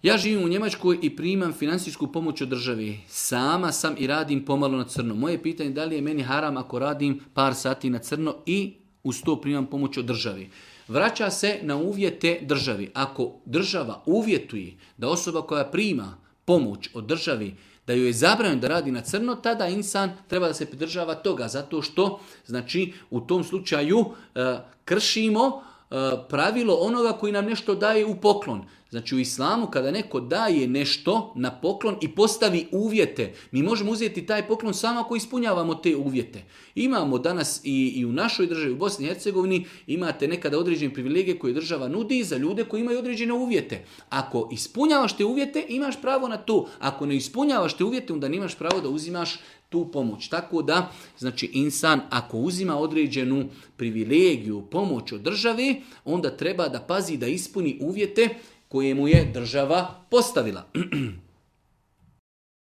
Ja živim u Njemačkoj i primam financijsku pomoć od države. Sama sam i radim pomalo na crno. Moje pitanje je da li je meni haram ako radim par sati na crno i uz to primam pomoć od države. Vraća se na uvjete državi. Ako država uvjetuje da osoba koja prima pomoć od državi da joj je zabranjeno da radi na crno, tada insan treba da se pridržava toga, zato što znači u tom slučaju kršimo pravilo onoga koji nam nešto daje u poklon. Znači u islamu kada neko daje nešto na poklon i postavi uvjete, mi možemo uzeti taj poklon samo ako ispunjavamo te uvjete. Imamo danas i u našoj državi, u Bosni i Hercegovini, imate nekada određene privilegije koje država nudi za ljude koji imaju određene uvjete. Ako ispunjavaš te uvjete, imaš pravo na to. Ako ne ispunjavaš te uvjete, onda nemaš pravo da uzimaš tu pomoć. Tako da, znači insan ako uzima određenu privilegiju, pomoć od države, onda treba da pazi da ispuni uvjete koje mu je država postavila.